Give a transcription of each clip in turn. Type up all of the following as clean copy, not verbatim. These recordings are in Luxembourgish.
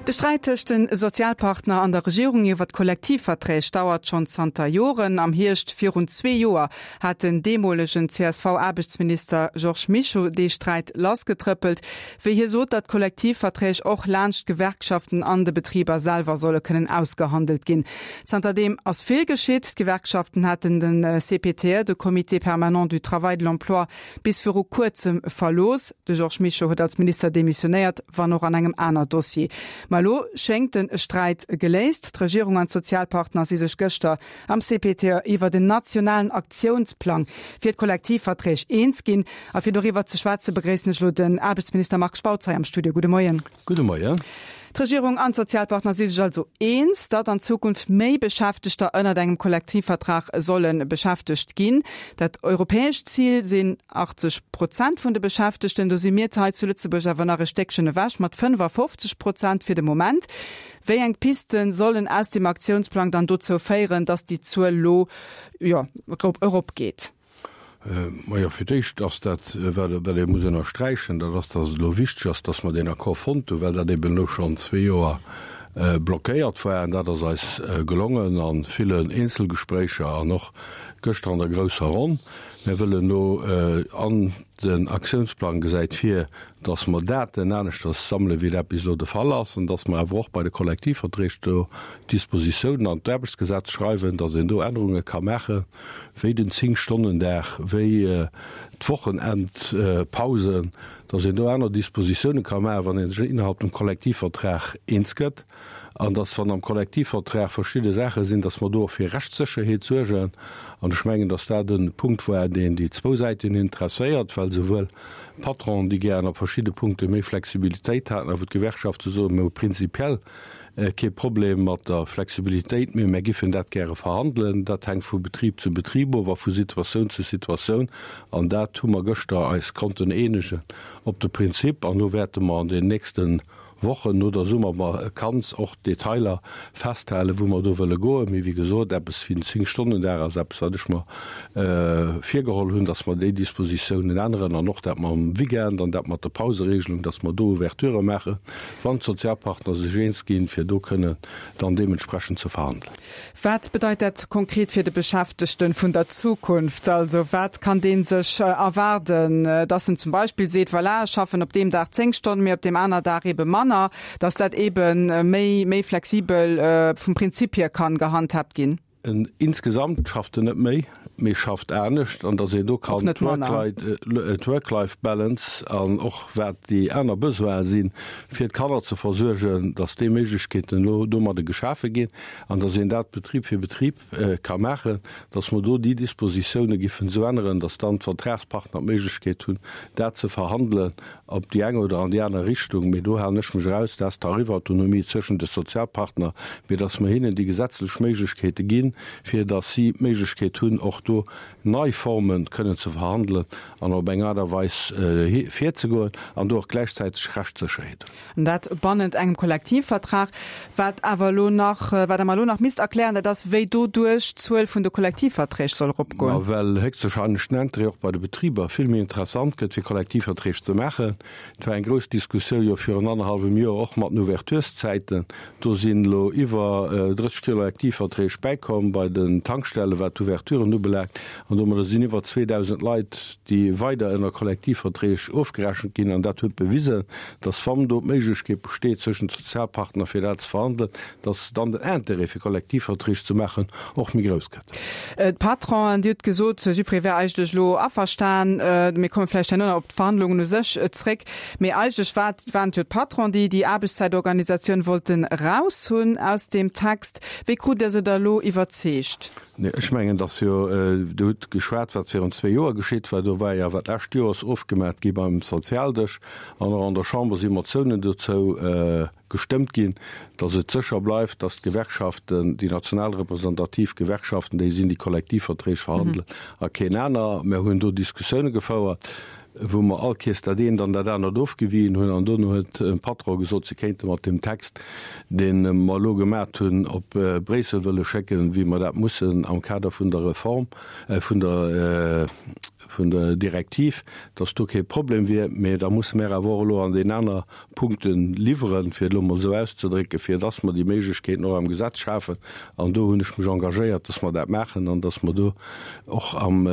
De Sträit tëscht de Sozialpartner an der Regierung iwwer d'Kollektivverträg dauert schonn zanter Joren. Am Hierscht virun zwee Joer hat den deemolegen CSV-Aarbechtsminister Georges Mischo dee Sträit lassgetrëppelt, wéi hie sot, datt d'Kollektivverträg och laanscht d'Gewerkschaften an de Betriber selwer solle kënnen ausgehandelt ginn. Zanterdeem ass vill geschitt. D'Gewerkschaften haten de CPTE, de Comité permanent du travail et de l'emploi, bis viru kuerzem verlooss. De Georges Mischo huet als Minister demissionéiert, wann och an engem aner Dossier. Ma elo schéngt de Sträit geléist. D'Regierung an d'Sozialpartner si sech gëschter am CPTE iwwert en nationalen Aktiounsplang fir d'Kollektivverträg eens ginn. A fir doriwwer ze schwätze begréissen ech elo den Aarbechtsminister Marc Spautz hei am Studio. Gudde Moien. Gudde Moien. D'Regierung an d'Sozialpartner si sech also eens, datt an Zukunft méi Beschäftegter ënnert engem Kollektivvertrag solle beschäftegt ginn. Dat europäescht Zil sinn 80 Prozent vun de Beschäftegten. Do si mir hei zu Lëtzebuerg awer nach e Stéckchen ewech mat 55 Prozent fir de Moment. Wéi eng Piste sollen aus dem Aktiounsplang dann dozou féieren, datt déi Zuel elo, jo, eropgeet? Majo, fir d'éischt ass dat, wat ee muss ënnersträichen, dat ass, dass et elo wichteg ass, dass mer deen Accord fonnt hunn, well dat eben elo schonn zwee Joer blockéiert war. An dat ass eis gelongen a villen Eenzelgespréicher an och gëschter an der grousser Ronn. Mir wëllen elo an den Aktiounsplang gesäit vir, dass mer Daten aneschters sammelen, wéi dat bis elo de Fall ass, an dass mer awer och bei de Kollektivverträg do Dispositiounen an d'Aarbechtsgesetz schreiwen, dass een do Ännerunge ka maachen, wéi den Zéng-Stonnen-Dag, wéi d'Wochenendpausen, dass een do aner Dispositiounen ka maachen, wann ee sech innerhalb dem Kollektivvertrag eens gëtt. An dass, wann am Kollektivvertrag verschidde Saache sinn, dass mer do och fir Rechtssécherheet suergen. An ech mengen, dass dat e Punkt war, deen déi zwou Säiten interesséiert, well souwuel d'Patronen, déi gären op verschidde Punkte méi Flexibilitéit haten, a wou d'Gewerkschafte soen, mir hu prinzipiell kee Problem mat der Flexibilitéit, mee mär giffen dat gäre verhandelen. Dat hänkt vu Betrib zu Betrib of a vu Situatioun zu Situatioun. An dat hu mer gëschter eis konnten eenegen op de Prinzip. An do wäerte mer an den nächste Wochen no der Summervakanz och d'Detailer festhalen, wou mer do wëlle goen. Mee wéi gesot, eppes wéi den Zéng-Stonnen-Dag ass eppes, wat ech mer virgeholl hunn, dass mer déi Dispositiounen änneren an och dat mam Weekend an dat mat der Pauseregelung, dass mer do Ouverturë maachen, wann d'Sozialpartner sech eens ginn, fir do kënnen dann deementsprechend ze verhandelen. Wat bedeit dat konkret fir de Beschäftegten vun der Zukunft? Also wat kann dee sech erwaarden? Dass en zum Beispill seet, voilà, ech schaffen op deem Dag 10 Stonnen, mee op deem aner Dag ebe manner, dass dat ebe méi, méi flexibel vum Prinzip hier kann gehandhabt ginn? En insgesamt schafft en net méi, mee schafft anescht, an dass een do kann d'Work-Life-Balance an och wat déi aner Besoine sinn, fir d'Kanner ze versuergen, dass déi Méiglechkeeten elo domadde geschafe ginn. An dass een dat Betrib fir Betrib ka maachen, dass mer do déi Dispositiounen giffen esou änneren, dass dann d'Vertragspartner d'Méiglechkeet hunn, dat ze verhandelen op déi eng oder an déi aner Richtung. Mee do halen ech mech eraus, dat ass d'Tarifautonomie zwëschen de Sozialpartner, mee dass mer hinnen déi gesetzlech Méiglechkeete ginn, fir dass si d'Méiglechkeet hunn, och do nei Forme kënnen ze verhandelen an op eng Aart a Weis virzegoen an do och gläichzäiteg Rechtssécherheet hunn. An dat bannent engem Kollektivvertrag. Wat awer elo nach, wat Der mer elo nach misst erklären, dat ass, wéi doduerch d'Zuel vun de Kollektivverträg soll eropgoen. Ma well héchstwahrscheinlech den Intérêt och bei de Betriber vill méi interessant gëtt, fir Kollektivverträg ze maachen. Et war eng grouss Diskussioun jo virun annerhallwem Joer och mat den Ouvertureszäiten. Do sinn elo iwwer 30 Kollektivverträg bäikomm bei den Tankstellen, wat d'Ouverturen ubelaangt. An domadder sinn iwwer 2.000 Leit, déi weider ënner Kollektivverträg ofgerechent ginn. An dat huet bewisen, dass, wann do d'Méiglechkeet besteet zwëschent de Sozialpartner fir dat ze verhandelen, dass dann den Intérêt fir Kollektivverträg ze maachen och méi grouss gëtt. D'Patronen, Dir hutt gesot, jiddweree wär eigentlech elo averstan, mir komme vläicht herno nach op d'Verhandlungen u sech zréck, mee eigentlech war, waren et jo d'Patronen, déi déi Aarbechtszäitorganisatioun wollten eraushunn aus deem Text. Wéi krut Der se da elo iwwerzeegt? Nee, ech mengen, dass jo, Dir hutt geschwat, wat virun zwee Joer geschitt war. Do war jo awer d'lescht Joers ofgemat gi beim Sozialdësch an och an der Chamber si Motiounen dozou gestëmmt ginn, dass et sécher bleift, dass d'Gewerkschaften, déi national representativ Gewerkschaften, déi sinn, déi Kollektivverträg verhandelen a keen aner. Mir hunn do Diskussioune gefouert, wou mer all Kees dat eent an dat anert ofgewien hunn an dono huet de Patron gesot, se kéinte mat deem Text, dee mer elo gemat hunn, op Bréissel wëlle schécken, wéi mer dat mussen am Kader vun der Reform, vun der. vun der Direktiv, dass do kee Problem wier, mä da musse mär awer och elo an den aner Punkte liwweren, fir et elo emol esou auszedrécken, fir dass mer déi Méiglechkeeten och am Gesetz schafen. An do hunn ech mech engagéiert, dass mer dat maachen an dass mer do och am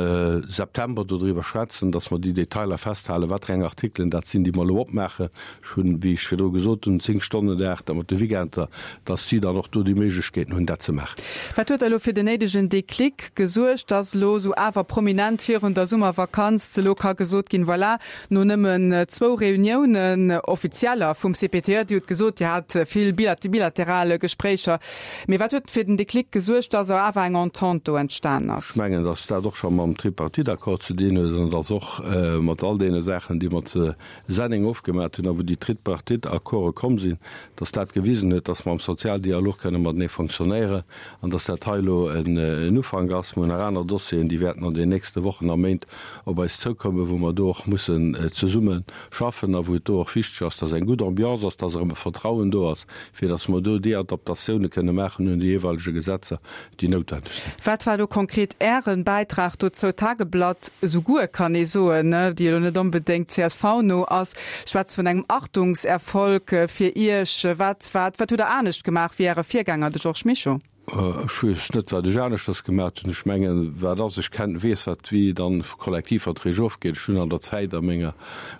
September dodriwwer schwätzen, dass mer déi Detailer festhalen, wat fir eng Artikelen dat sinn, déi mer elo opmaachen. Ech hunn, wéi ech virdru gesot hunn, Zéng-Stonnen-Dag, da mat de Weekender, dass si dann och do déi Méiglechkeeten hunn, dat ze maachen. Wat huet da elo fir den néidegen Déclic gesuergt, dass elo esou awer prominent virun der Summervakanz elo ka gesot ginn, voilà, No nëmmen zwou Reuniounen, offizieller, vum CPTE, Dir hutt gesot, Dir hat vill bilateral Gespréicher, mee wat huet fir den Déclic gesuergt, dass awer eng Entente do entstanen ass? Ech mengen, dass dat och scho mam Tripartite-Accord ze dinn huet an dass och mat all deene Saachen, déi mer ze Senneng ofgemat hunn a wou déi Tripartite-Accorde komm sinn, dass dat gewisen huet, dass mer am Sozialdialog kënne matenee fonctionnéieren an dass dat hei elo en Ufank ass. Mer hunn nach aner Dossieren, déi wäerten an den nächste Wochen a Méint op eis zoukommen, wou mer do och mussen zesumme schaffen a wou et do och wichteg ass, dass eng gutt Ambiance ass, dass erëm e Vertrauen do ass, fir dass mer do déi Adaptatioune kënne maachen un déi jeeweilege Gesetzer, déi noutwendeg sinn. Wat war do konkret Äre Bäitrag dozou? D'Tageblatt souguer, kann ee soen, déi elo net onbedéngt CSV-no ass, schwätzt vun engem Achtungserfolg fir Iech. Wat, wat, wat hutt Der anescht gemaach wéi Äre Virgänger, de Georges Mischo? Ech weess net, wat ech aneschters gemaat hunn. Ech mengen, wat ass, ech kenn, weess, wat wéi dann Kollektivverträg ofgeet. Ech hunn an der Zäit a menger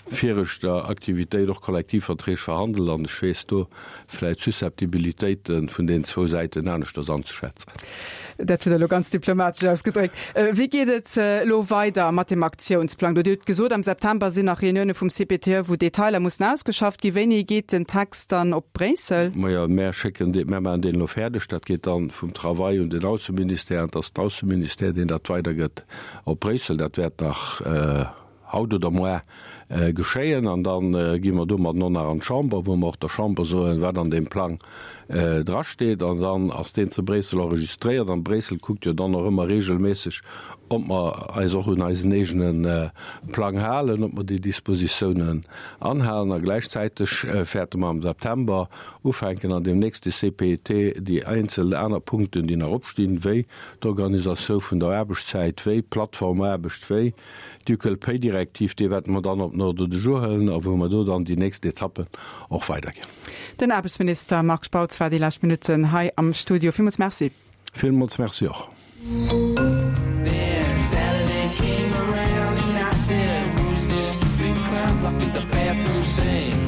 viregter Aktivitéit och Kollektivverträg verhandelt an ech weess do vläicht d'Susceptibilitéite vun deenen zwou Säiten aneschters anzeschätzen. Dat hutt Der elo ganz diplomatesch ausgedréckt. Wéi geet et elo weider mat dem Aktiounsplang do? Dir hutt gesot, am September sinn nach Reunioune vum CPTE, wou Detailer mussen ausgeschafft ginn. Wéini geet den Text dann op Bréissel? Majo, mär schécken deen, mär maachen deen elo fäerdeg. Dat geet dann vum Travail un den Ausseministère an et ass den Ausseministère, deen dat weidergëtt op Bréissel. Dat wäert nach haut oder moar geschéien an da gi mer domadden och nach an d'Chamber, wou mer och der Chamber soen, wat an deem Plang drasteet. An dann ass deen zu Bréissel enregistréiert an Bréissel kuckt jo dann och ëmmer regelméisseg, ob mer eis och un eisen eegene Plang halen, ob mer déi Dispositiounen anhalen. A gläichzäiteg wäerte mer am September ufänken, an deem nächste CPET déi einzel aner Punkten, déi nach opstinn, wéi d'Organisatioun vun der Aarbechtszäit, wéi d'Plattformaarbecht, wéi D'Equal Pay Direktiv, déi wäerte mer dann op den Ordre du jour huelen a wou mer do dann déi nächst Etappen och weiderginn. Den Aarbechtsminister Marc Spautz war déi lescht Minutten hei am Studio. Villmools Merci. Villmools Merci och.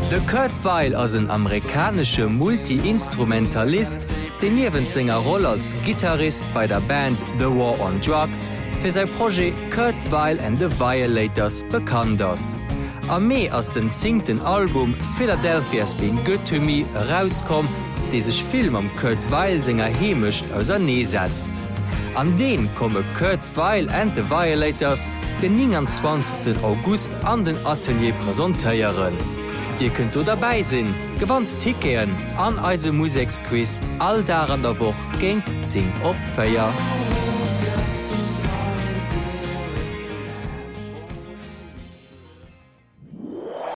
De Kurt Weill ass en amerikanesche Multi-Instrumentalist, deen niewent senger Roll als Gittarist bei der Band The War on Drugs fir säi Projet Kurt Weill and the Violators bekannt ass. Am Mee ass den zéngten Album Philadelphia's Been Good to Me erauskomm, dee sech vill mam Kurt Weill senger Heemecht ausernee setzt. An deen komme Kurt Weill and the Violators den 29. August an den Atelier presentéieren. Dir kënnt do derbäi sinn, gewannt Ticketen an eise Museksquiz all Dag an der Woch géint 10 op 4.